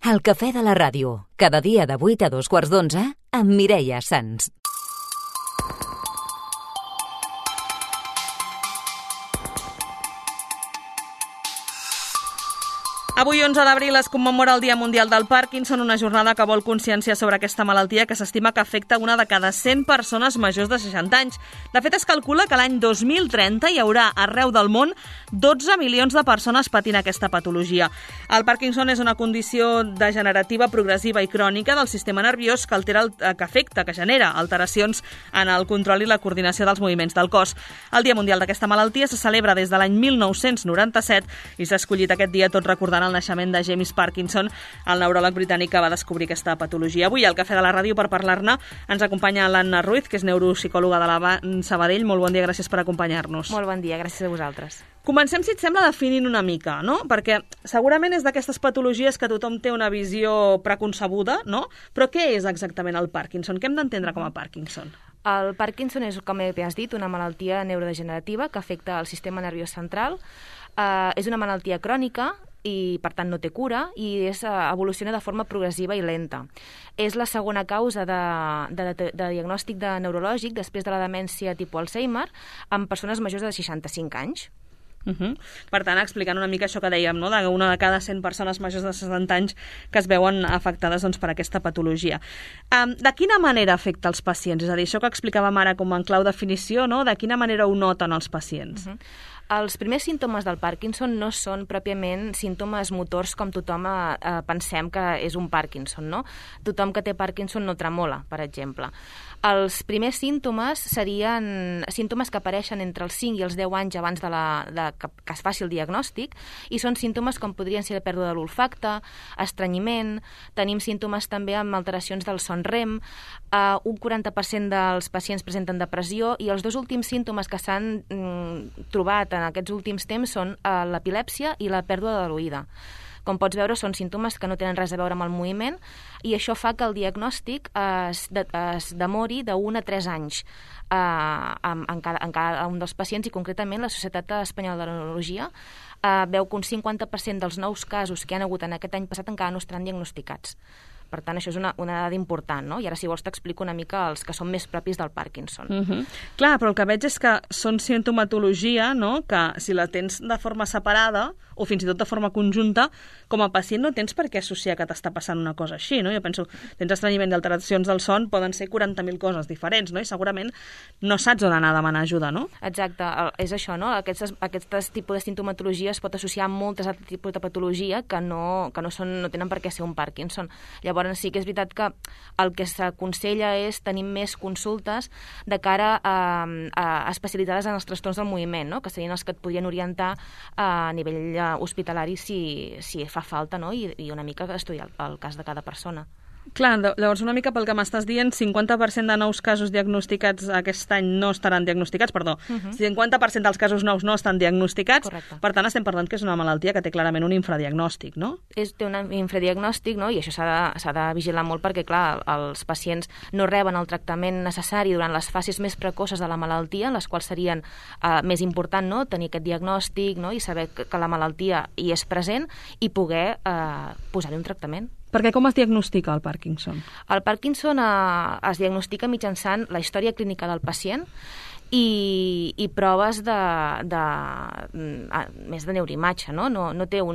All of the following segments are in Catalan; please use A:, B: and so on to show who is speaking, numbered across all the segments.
A: El cafè de la ràdio, cada dia de 8 a 2:15 amb Mireia Sans.
B: Avui, 11 d'abril, es commemora el Dia Mundial del Parkinson, una jornada que vol consciència sobre aquesta malaltia que s'estima que afecta una de cada 100 persones majors de 60 anys. De fet, es calcula que l'any 2030 hi haurà arreu del món 12 milions de persones patint aquesta patologia. El Parkinson és una condició degenerativa, progressiva i crònica del sistema nerviós que genera alteracions en el control i la coordinació dels moviments del cos. El Dia Mundial d'aquesta malaltia se celebra des de l'any 1997 i s'ha escollit aquest dia tot recordant el naixement de James Parkinson, el neuròleg britànic que va descobrir aquesta patologia. Avui al Cafè de la Ràdio per parlar-ne ens acompanya l'Anna Ruiz, que és neuropsicòloga de la Sabadell. Molt bon dia, gràcies per acompanyar-nos.
C: Molt bon dia, gràcies a vosaltres.
B: Comencem, si et sembla, definint una mica, no? Perquè segurament és d'aquestes patologies que tothom té una visió preconcebuda, no? Però què és exactament el Parkinson? Què hem d'entendre com a Parkinson?
C: El Parkinson és, com bé has dit, una malaltia neurodegenerativa que afecta el sistema nerviós central. És una malaltia crònica i, per tant, no té cura i evoluciona de forma progressiva i lenta. És la segona causa de diagnòstic neurològic després de la demència tipus Alzheimer en persones majors de 65 anys.
B: Per tant, explicant una mica això que dèiem, no? Una de cada 100 persones majors de 60 anys que es veuen afectades per aquesta patologia. De quina manera afecta els pacients? És a dir, això que explicàvem ara com en clau definició, no? De quina manera ho noten els pacients?
C: Els primers símptomes del Parkinson no són pròpiament símptomes motors com tothom pensem que és un Parkinson, no? Tothom que té Parkinson no tremola, per exemple. Els primers símptomes serien símptomes que apareixen entre els 5 i els 10 anys abans que es faci el diagnòstic i són símptomes com podrien ser la pèrdua de l'olfacte, estrenyiment, tenim símptomes també amb alteracions del son REM, un 40% dels pacients presenten depressió i els dos últims símptomes que s'han trobat en aquests últims temps són l'epilèpsia i la pèrdua de l'oïda. Com pots veure, són símptomes que no tenen res a veure amb el moviment i això fa que el diagnòstic es demori de 1 a 3 anys en cada un dels pacients i concretament la Societat Espanyola de Neurologia veu que un 50% dels nous casos que hi ha hagut en aquest any passat encara no estaran diagnosticats. Per tant, això és una dada important, no? I ara, si vols, t'explico una mica els que són més propis del Parkinson.
B: Clar, però el que veig és que són sintomatologia, no?, que si la tens de forma separada o fins i tot de forma conjunta, com a pacient no tens per què associar que t'està passant una cosa així, no? Jo penso, tens estrenyiment i alteracions del son, poden ser 40.000 coses diferents, no? I segurament no saps on anar a demanar ajuda, no?
C: Exacte, és això, no? Aquest tipus de sintomatologia es pot associar amb moltes altres tipus de patologia que no tenen per què ser un Parkinson. Llavors, sí que és veritat que el que s'aconsella és tenir més consultes de cara especialitzades en els trastorns del moviment, no? Que serien els que et podrien orientar a nivell hospitalari si fa falta, no? I una mica estudiar el cas de cada persona.
B: Clar, llavors una mica pel que m'estàs dient, 50% de nous casos diagnosticats aquest any no estaran diagnosticats, 50% dels casos nous no estan diagnosticats.
C: Correcte.
B: Per tant estem parlant que és una malaltia que té clarament un infradiagnòstic, no?
C: Té un infradiagnòstic, no? I això s'ha de vigilar molt perquè, clar, els pacients no reben el tractament necessari durant les fases més precoces de la malaltia, en les quals serien més important, no?, tenir aquest diagnòstic, no?, i saber que la malaltia hi és present i poder posar-hi un tractament.
B: Perquè com es diagnostica el Parkinson?
C: El Parkinson es diagnostica mitjançant la història clínica del pacient i proves més de neuroimatge, no? No hi ha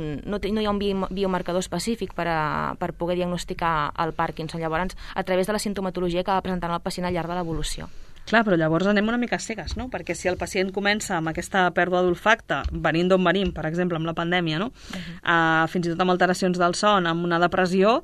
C: un biomarcador específic per poder diagnosticar el Parkinson. Llavors, a través de la sintomatologia que va presentant el pacient al llarg de l'evolució.
B: Clar, però llavors anem una mica cegues, no? Perquè si el pacient comença amb aquesta pèrdua d'olfacte, venint d'on venim, per exemple, amb la pandèmia, no? Fins i tot amb alteracions del son, amb una depressió,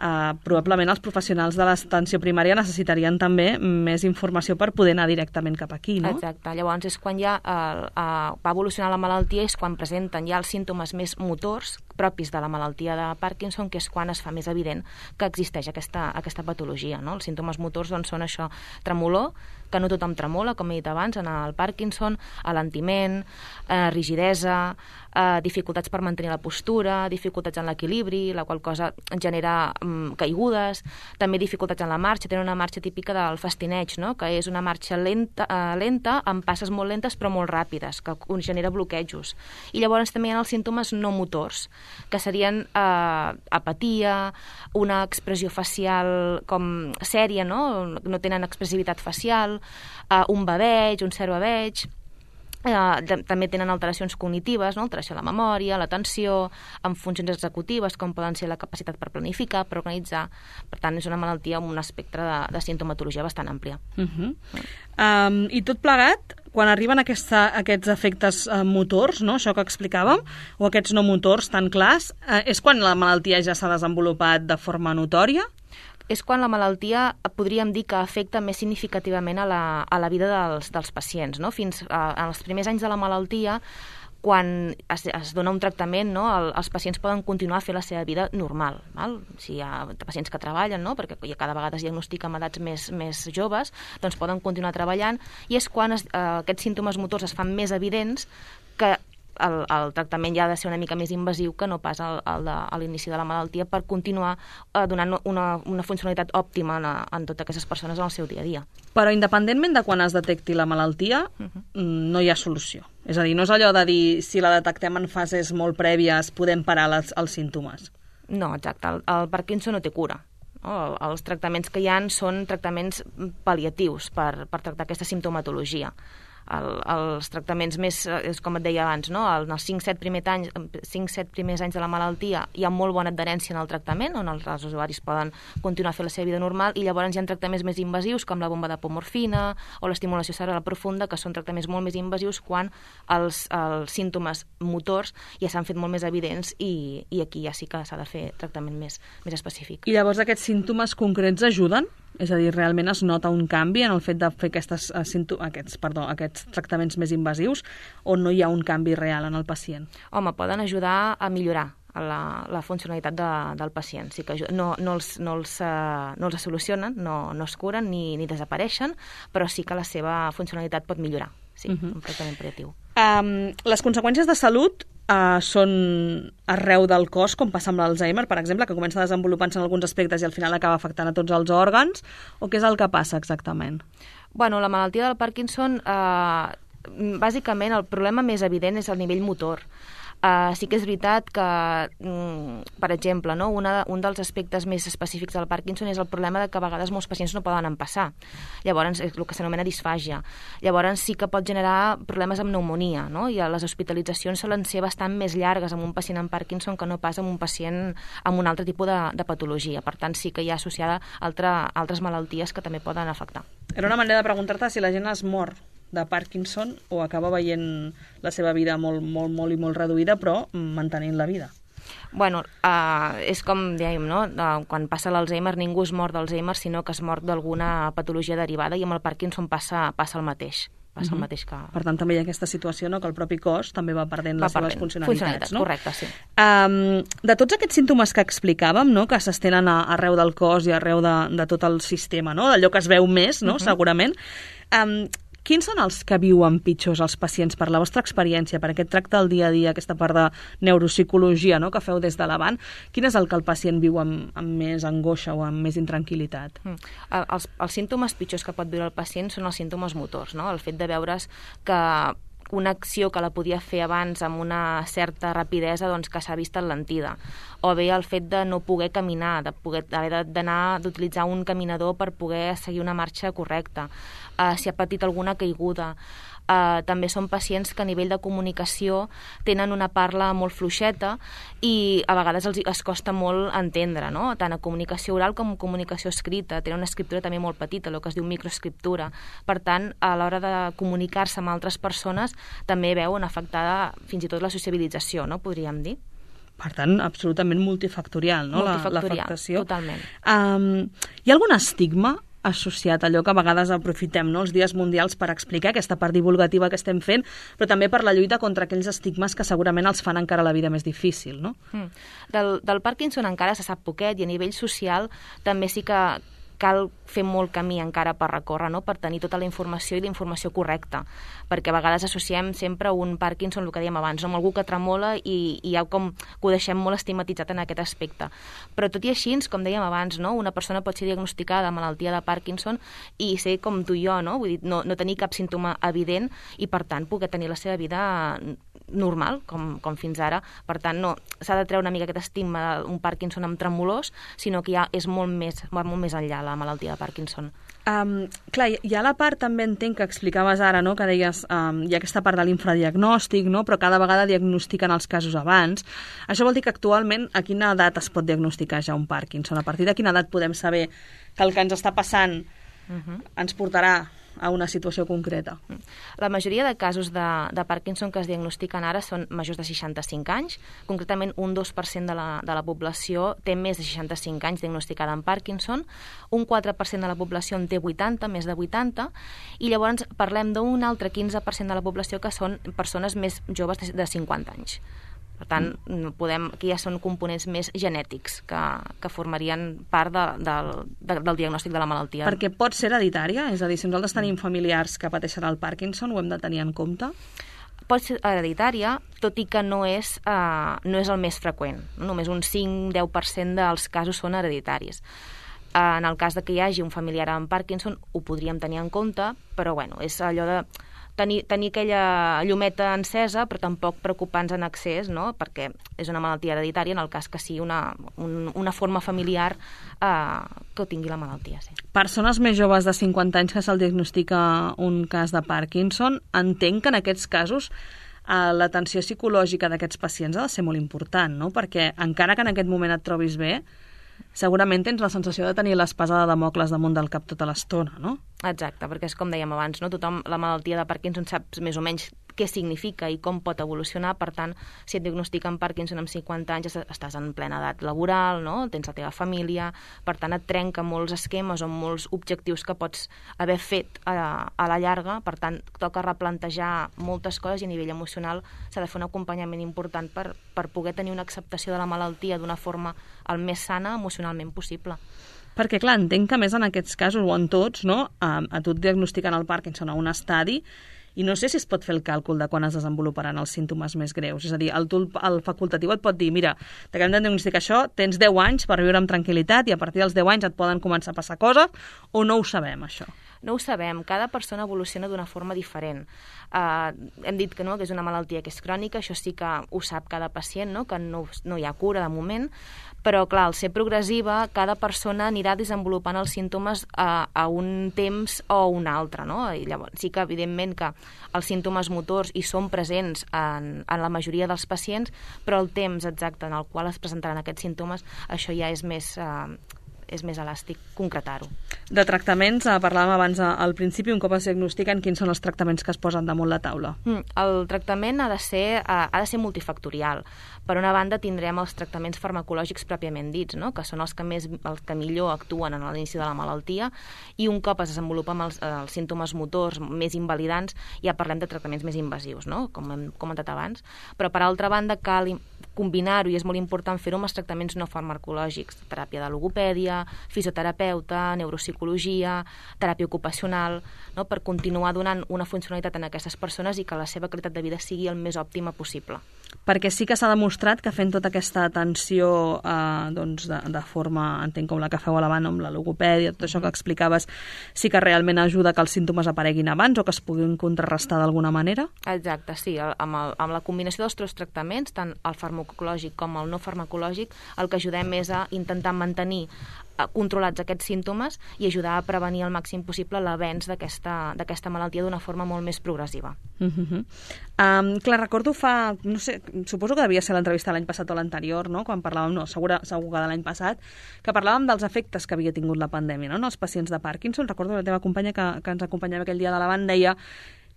B: probablement els professionals de l'atenció primària necessitarien també més informació per poder anar directament cap aquí, no?
C: Exacte. Llavors és quan ja va evolucionar la malaltia, és quan presenten ja els símptomes més motors propis de la malaltia de Parkinson, que és quan es fa més evident que existeix aquesta patologia, no? Els símptomes motors doncs, són això, tremolor, que no tothom tremola, com he dit abans, en el Parkinson, alentiment, rigidesa, dificultats per mantenir la postura, dificultats en l'equilibri, la qual cosa genera caigudes, també dificultats en la marxa, tenen una marxa típica del fastineig, no?, que és una marxa lenta, amb passes molt lentes però molt ràpides, que genera bloquejos. I llavors també hi ha els símptomes no motors, que serien apatia, una expressió facial com sèria, no tenen expressivitat facial, un baveig, un cert baveig. També tenen alteracions cognitives, alteració de la memòria, l'atenció, amb funcions executives, com poden ser la capacitat per planificar, per organitzar. Per tant, és una malaltia amb un espectre de sintomatologia bastant àmplia.
B: I tot plegat, quan arriben aquests efectes motors, això que explicàvem, o aquests no motors tan clars, és quan la malaltia ja s'ha desenvolupat de forma notòria?
C: És quan la malaltia podríem dir que afecta més significativament a la vida dels pacients. Fins als primers anys de la malaltia, quan es dona un tractament, els pacients poden continuar a fer la seva vida normal. Si hi ha pacients que treballen, perquè cada vegada es diagnostica amb edats més joves, doncs poden continuar treballant, i és quan aquests símptomes motors es fan més evidents que el tractament ja ha de ser una mica més invasiu que no pas a l'inici de la malaltia, per continuar donant una funcionalitat òptima en totes aquestes persones en el seu dia a dia.
B: Però independentment de quan es detecti la malaltia, no hi ha solució. És a dir, no és allò de dir si la detectem en fases molt prèvies podem parar els símptomes.
C: No, exacte. El Parkinson no té cura. Els tractaments que hi ha són tractaments pal·liatius per tractar aquesta simptomatologia. Els tractaments més, com et deia abans, en els 5-7 primers anys de la malaltia hi ha molt bona adherència en el tractament, on els usuaris poden continuar a fer la seva vida normal, i llavors hi ha tractaments més invasius, com la bomba d'apomorfina o l'estimulació cerebral profunda, que són tractaments molt més invasius quan els símptomes motors ja s'han fet molt més evidents, i aquí ja sí que s'ha de fer tractament més específic.
B: I llavors aquests símptomes concrets ajuden? És a dir, realment es nota un canvi en el fet de fer aquests tractaments més invasius, o no hi ha un canvi real en el pacient?
C: Home, poden ajudar a millorar la funcionalitat del pacient. Sí que no els solucionen, no es curen ni desapareixen, però sí que la seva funcionalitat pot millorar. Sí, un tractament pal·liatiu.
B: Les conseqüències de salut són arreu del cos, com passa amb l'Alzheimer, per exemple, que comença desenvolupant-se en alguns aspectes i al final acaba afectant a tots els òrgans, o què és el que passa exactament?
C: Bueno, la malaltia del Parkinson, bàsicament el problema més evident és el nivell motor. Sí que és veritat que, per exemple, un dels aspectes més específics del Parkinson és el problema de que a vegades molts pacients no poden empassar. Llavors, és el que s'anomena disfàgia. Llavors sí que pot generar problemes amb pneumònia, i les hospitalitzacions solen ser bastant més llargues amb un pacient amb Parkinson que no pas amb un pacient amb un altre tipus de patologia. Per tant, sí que hi ha associada altres malalties que també poden afectar.
B: Era una manera de preguntar-te si la gent es mor de Parkinson o acaba veient la seva vida molt, molt, molt i molt reduïda, però mantenint la vida.
C: Bueno, és com dèiem, quan passa l'Alzheimer ningú es mor d'Alzheimer, sinó que es mor d'alguna patologia derivada, i amb el Parkinson passa el mateix. El mateix que...
B: Per tant, també hi ha aquesta situació, que el propi cos també va perdent les seves funcionalitats.
C: Correcte, sí.
B: De tots aquests símptomes que explicàvem, que s'estenen arreu del cos i arreu de tot el sistema, d'allò que es veu més, segurament, quins són els que viuen pitjors els pacients per la vostra experiència, per aquest tracte del dia a dia, aquesta part de neuropsicologia que feu des de l'Avant? Quin és el que el pacient viu amb més angoixa o amb més intranquil·litat?
C: Els símptomes pitjors que pot viure el pacient són els símptomes motors, el fet de veure's que una acció que la podia fer abans amb una certa rapidesa, doncs que s'ha vist enlentida. O bé el fet de no poder caminar, d'utilitzar un caminador per poder seguir una marxa correcta. Si ha patit alguna caiguda. També són pacients que a nivell de comunicació tenen una parla molt fluixeta i a vegades es costa molt entendre, tant a comunicació oral com a comunicació escrita. Tenen una escriptura també molt petita, el que es diu microescriptura. Per tant, a l'hora de comunicar-se amb altres persones també veuen afectada fins i tot la sociabilització, podríem dir.
B: Per tant, absolutament multifactorial, l'afectació.
C: Totalment.
B: Hi ha algun estigma associat a allò que a vegades aprofitem, els dies mundials, per explicar aquesta part divulgativa que estem fent, però també per la lluita contra aquells estigmes que segurament els fan encara la vida més difícil, no?
C: Del Parkinson encara se sap poquet, i a nivell social també sí que cal fer molt camí encara per recórrer, no? Per tenir tota la informació i la informació correcta, perquè a vegades associem sempre un Parkinson, el que dèiem abans, amb algú que tremola i ja com que ho deixem molt estigmatitzat en aquest aspecte. Però tot i així, com dèiem abans, no? Una persona pot ser diagnosticada de malaltia de Parkinson i ser com tu i jo, no? Vull dir, no tenir cap símptoma evident i, per tant, poder tenir la seva vida normal, com fins ara. Per tant, no s'ha de treure una mica aquest estigma d'un Parkinson amb tremolors, sinó que ja és va molt més enllà la malaltia de Parkinson.
B: Clar, hi ha la part, també entenc, que explicaves ara, no? Que deies, hi ha aquesta part de l'infradiagnòstic, no? Però cada vegada diagnostiquen els casos abans. Això vol dir que actualment a quina edat es pot diagnosticar ja un Parkinson? A partir de quina edat podem saber que el que ens està passant ens portarà a una situació concreta?
C: La majoria de casos de Parkinson que es diagnostiquen ara són majors de 65 anys. Concretament, un 2% de la població té més de 65 anys diagnosticada amb Parkinson, un 4% de la població en té 80, més de 80, i llavors parlem d'un altre 15% de la població que són persones més joves de 50 anys. Per tant, aquí ja són components més genètics que formarien part del diagnòstic de la malaltia.
B: Perquè pot ser hereditària? És a dir, si nosaltres tenim familiars que pateixen el Parkinson, ho hem de tenir en compte?
C: Pot ser hereditària, tot i que no és el més freqüent. Només un 5-10% dels casos són hereditaris. En el cas que hi hagi un familiar amb Parkinson, ho podríem tenir en compte, però bueno, és allò de tenir aquella llumeta encesa, però tampoc preocupar-nos en excés, no? Perquè és una malaltia hereditària en el cas que sigui una forma familiar que tingui la malaltia. Sí.
B: Persones més joves de 50 anys que se'l diagnostica un cas de Parkinson, entenc que en aquests casos l'atenció psicològica d'aquests pacients ha de ser molt important, no? Perquè encara que en aquest moment et trobis bé, segurament tens la sensació de tenir l'espasa de Dàmocles damunt del cap tota l'estona, no?
C: Exacte, perquè és com dèiem abans, no? Tothom, la malaltia de Parkinson sap més o menys què significa i com pot evolucionar. Per tant, si et diagnostiquen Parkinson amb 50 anys, estàs en plena edat laboral, no? Tens la teva família, per tant et trenca molts esquemes o molts objectius que pots haver fet a la llarga. Per tant, toca replantejar moltes coses i a nivell emocional s'ha de fer un acompanyament important per poder tenir una acceptació de la malaltia d'una forma el més sana emocionalment possible.
B: Perquè, clar, entenc que més en aquests casos, o en tots, no? A tu et diagnostiquen el Parkinson a un estadi i no sé si es pot fer el càlcul de quan es desenvoluparan els símptomes més greus. És a dir, el facultatiu et pot dir, mira, t'acabem de diagnosticar això, tens 10 anys per viure amb tranquil·litat i a partir dels 10 anys et poden començar a passar coses, o no ho sabem, això?
C: No ho sabem, cada persona evoluciona d'una forma diferent. Hem dit que no, que és una malaltia que és crònica, això sí que ho sap cada pacient, no? Que no hi ha cura de moment, però clar, al ser progressiva, cada persona anirà desenvolupant els símptomes a un temps o un altre, no? I llavors sí que evidentment que els símptomes motors hi són presents en la majoria dels pacients, però el temps exacte en el qual es presentaran aquests símptomes, això ja és més elàstic concretar-ho.
B: De tractaments, parlàvem abans al principi, un cop es diagnostiquen, quins són els tractaments que es posen damunt la taula?
C: El tractament ha de ser multifactorial. Per una banda, tindrem els tractaments farmacològics pròpiament dits, no? Que són els que millor actuen en l'inici de la malaltia, i un cop es desenvolupen els símptomes motors més invalidants, ja parlem de tractaments més invasius, no? Com hem comentat abans. Però, per altra banda, cal combinar-ho, i és molt important fer-ho amb els tractaments no farmacològics, teràpia de logopèdia, fisioterapeuta, neuropsicologia, teràpia ocupacional, no? Per continuar donant una funcionalitat a aquestes persones i que la seva qualitat de vida sigui el més òptima possible.
B: Perquè sí que s'ha demostrat que fent tota aquesta atenció de forma, entenc, com la que feu a l'avant amb la logopèdia, tot això que explicaves, sí que realment ajuda que els símptomes apareguin abans o que es puguin contrarrestar d'alguna manera?
C: Exacte, sí. Amb la combinació dels tres tractaments, tant el farmacològic com el no farmacològic, el que ajudem és a intentar mantenir controlats aquests símptomes i ajudar a prevenir al màxim possible l'avenç d'aquesta malaltia d'una forma molt més progressiva.
B: Clar, recordo no sé, suposo que devia ser l'entrevista l'any passat o l'anterior, no? Quan parlàvem, segur que de l'any passat, que parlàvem dels efectes que havia tingut la pandèmia, no? En els pacients de Parkinson. Recordo que la teva companya que ens acompanyava aquell dia de l'avant deia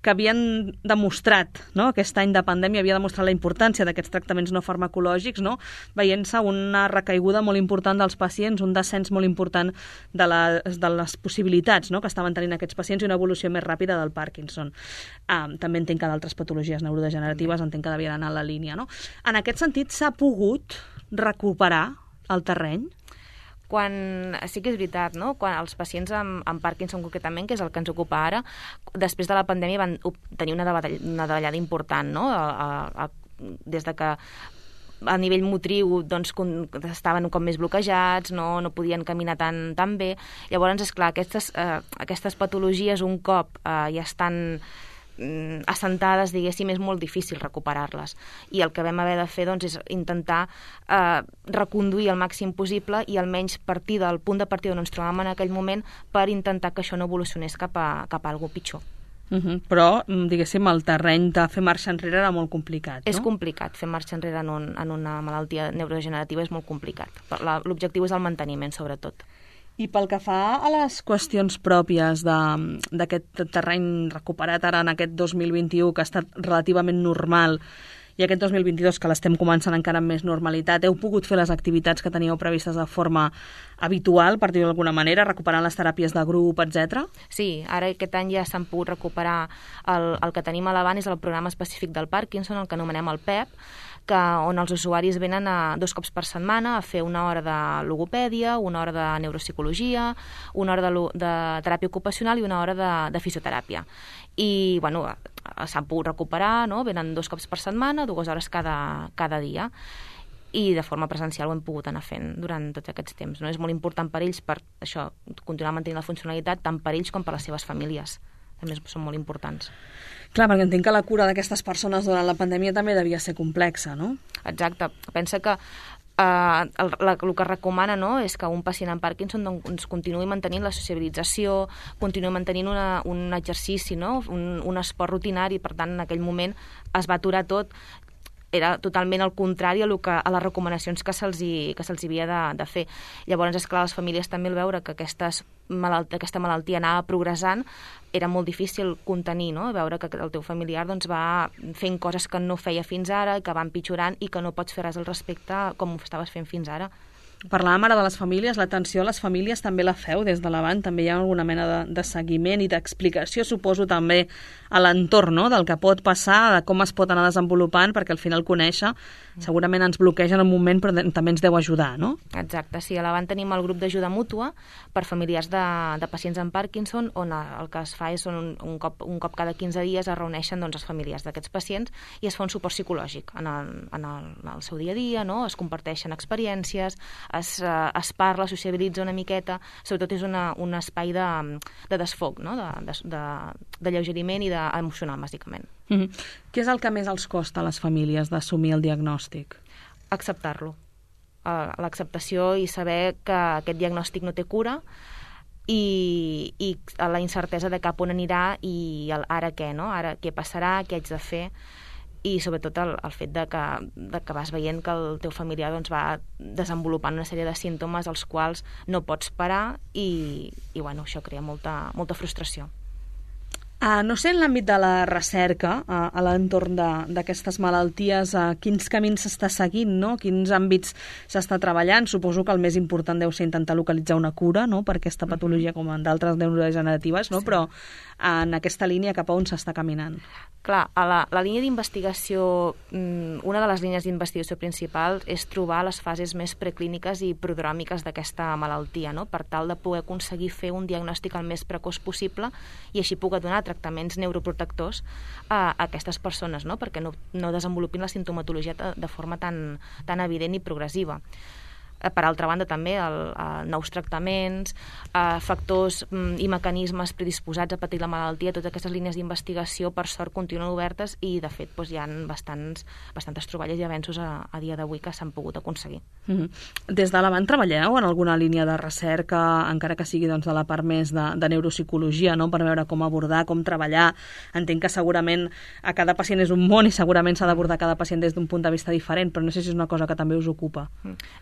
B: que havien demostrat, no? Aquest any de pandèmia havia demostrat la importància d'aquests tractaments no farmacològics, no? Veient-se una recaiguda molt important dels pacients, un descens molt important de les possibilitats, no? Que estaven tenint aquests pacients i una evolució més ràpida del Parkinson. També entenc que d'altres patologies neurodegeneratives entenc que devien anar en la línia, no? En aquest sentit, s'ha pogut recuperar el terreny?
C: Sí que és veritat, no? Quan els pacients amb Parkinson concretament, que és el que ens ocupa ara, després de la pandèmia van tenir una davallada important, no? Des de que a nivell motriu doncs, estaven com més bloquejats, no podien caminar tan bé. Llavors, esclar, aquestes patologies un cop ja estan assentades, diguéssim, és molt difícil recuperar-les. I el que vam haver de fer doncs, és intentar reconduir el màxim possible i almenys partir del punt de partida on ens trobàvem en aquell moment per intentar que això no evolucionés cap a alguna pitjor.
B: Però, diguéssim, el terreny de fer marxa enrere era molt complicat, no?
C: És complicat, fer marxa enrere en una malaltia neurodegenerativa és molt complicat. L'objectiu és el manteniment, sobretot.
B: I pel que fa a les qüestions pròpies d'aquest terreny recuperat ara en aquest 2021, que ha estat relativament normal, i aquest 2022, que l'estem començant encara amb més normalitat, heu pogut fer les activitats que teníeu previstes de forma habitual, per dir-ho d'alguna manera, recuperant les teràpies de grup, etc? Sí,
C: ara aquest any ja s'han pogut recuperar el que tenim a l'avant és el programa específic del Parkinson, el que anomenem el PEP, on els usuaris venen 2 cops per setmana a fer una hora de logopèdia, una hora de neuropsicologia, una hora de teràpia ocupacional i una hora de fisioteràpia. I, bueno, s'han pogut recuperar, no? Venen 2 cops per setmana, 2 hores cada dia. I de forma presencial ho hem pogut anar fent durant tots aquests temps. No? És molt important per ells, per això, continuar mantenint la funcionalitat, tant per ells com per les seves famílies. També són molt importants.
B: Clar, perquè entenc que la cura d'aquestes persones durant la pandèmia també devia ser complexa, no?
C: Exacte. Pensa que el que recomana, no, és que un pacient amb Parkinson doncs, continuï mantenint la sociabilització, continuï mantenint un exercici, no? un esport rutinari. Per tant, en aquell moment es va aturar tot. Era totalment el contrari a les recomanacions que se'ls havia de fer. Llavors, esclar, les famílies també al veure que aquesta malaltia anava progressant, era molt difícil contenir, no? Veure que el teu familiar doncs, va fent coses que no feia fins ara, que va empitjorant i que no pots fer res al respecte com ho estaves fent fins ara.
B: Parlàvem ara de les famílies, l'atenció a les famílies també la feu des de l'Avant, també hi ha alguna mena de seguiment i d'explicació, suposo també a l'entorn, no? Del que pot passar, de com es pot anar desenvolupant, perquè al final conèixer segurament ens bloqueja en un moment, però també ens deu ajudar, no?
C: Exacte, sí, a l'Avant tenim el grup d'ajuda mútua per familiars de pacients amb Parkinson, on el que es fa és un cop cada 15 dies es reuneixen doncs, els familiars d'aquests pacients i es fa un suport psicològic en el seu dia a dia, no? Es comparteixen experiències, es parla, sociabilitza una miqueta, sobretot és un espai de desfoc, no? de lleugeriment i emocional, bàsicament.
B: Què és el que més els costa a les famílies d'assumir el diagnòstic?
C: Acceptar-lo. L'acceptació i saber que aquest diagnòstic no té cura i la incertesa de cap on anirà i ara què, no? Ara què passarà, què haig de fer, i sobretot el fet de que vas veient que el teu familiar doncs, va desenvolupant una sèrie de símptomes als quals no pots parar i bueno, això crea molta frustració.
B: No sé, en l'àmbit de la recerca, a l'entorn d'aquestes malalties, quins camins s'està seguint, no? Quins àmbits s'està treballant? Suposo que el més important deu ser intentar localitzar una cura, no?, per aquesta patologia com en d'altres neurodegeneratives, no? Sí. Però en aquesta línia cap a on s'està caminant?
C: Clar, a la línia d'investigació, una de les línies d'investigació principals és trobar les fases més preclíniques i prodròmiques d'aquesta malaltia, no?, per tal de poder aconseguir fer un diagnòstic el més precoç possible i així poder donar tractaments neuroprotectors a aquestes persones, no?, perquè no desenvolupin la simptomatologia de forma tan evident i progressiva. Per altra banda, també nous tractaments, factors i mecanismes predisposats a patir la malaltia, totes aquestes línies d'investigació, per sort, continuen obertes i, de fet, hi ha bastantes troballes i avenços a dia d'avui que s'han pogut aconseguir.
B: Des de l'Avant treballeu en alguna línia de recerca, encara que sigui doncs, de la part més de neuropsicologia, no?, per veure com abordar, com treballar? Entenc que segurament a cada pacient és un món i segurament s'ha d'abordar cada pacient des d'un punt de vista diferent, però no sé si és una cosa que també us ocupa.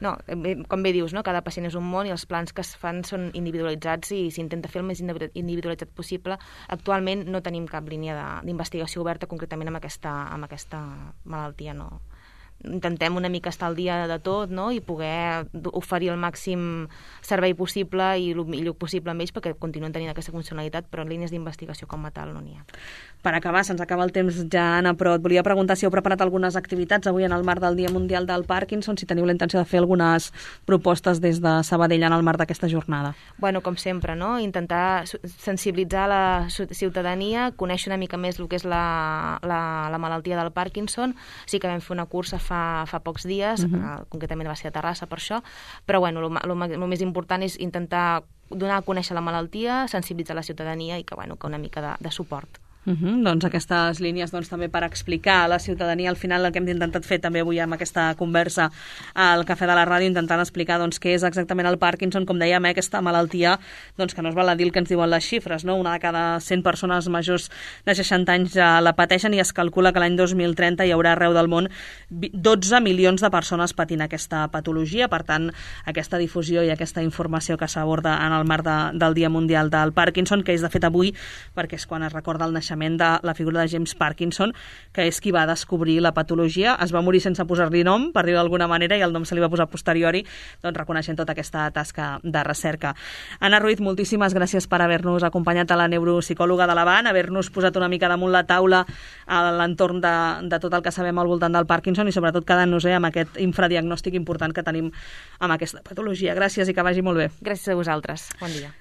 C: No, com bé dius, no? Cada pacient és un món i els plans que es fan són individualitzats i s'intenta fer el més individualitzat possible. Actualment no tenim cap línia d'investigació oberta concretament amb aquesta malaltia, no intentem una mica estar al dia de tot, no? I poder oferir el màxim servei possible i el millor possible amb ells perquè continuen tenint aquesta funcionalitat, però en línies d'investigació com a tal no n'hi ha.
B: Per acabar, se'ns acaba el temps ja, Anna, però et volia preguntar si heu preparat algunes activitats avui en el marc del Dia Mundial del Parkinson, si teniu la intenció de fer algunes propostes des de Sabadell en el marc d'aquesta jornada.
C: Bueno, com sempre, no? Intentar sensibilitzar la ciutadania, conèixer una mica més el que és la malaltia del Parkinson. Sí que vam fer una cursa fa pocs dies, concretament va ser a Terrassa per això, però bueno, el més important és intentar donar a conèixer la malaltia, sensibilitzar la ciutadania i que una mica de suport.
B: Doncs aquestes línies també per explicar a la ciutadania al final el que hem intentat fer també avui amb aquesta conversa al Cafè de la Ràdio, intentant explicar què és exactament el Parkinson, com dèiem, aquesta malaltia que no es val a dir el que ens diuen les xifres, no? Una de cada 100 persones majors de 60 anys ja la pateixen i es calcula que l'any 2030 hi haurà arreu del món 12 milions de persones patint aquesta patologia. Per tant, aquesta difusió i aquesta informació que s'aborda en el marc del Dia Mundial del Parkinson, que és de fet avui perquè és quan es recorda el naixement de la figura de James Parkinson, que és qui va descobrir la patologia. Es va morir sense posar-li nom, per dir-ho d'alguna manera, i el nom se li va posar a posteriori, reconeixent tota aquesta tasca de recerca. Anna Ruiz, moltíssimes gràcies per haver-nos acompanyat, a la neuropsicòloga de l'Avant, haver-nos posat una mica damunt la taula a l'entorn de tot el que sabem al voltant del Parkinson i sobretot quedant-nos amb aquest infradiagnòstic important que tenim amb aquesta patologia. Gràcies i que vagi molt bé.
C: Gràcies a vosaltres. Bon dia.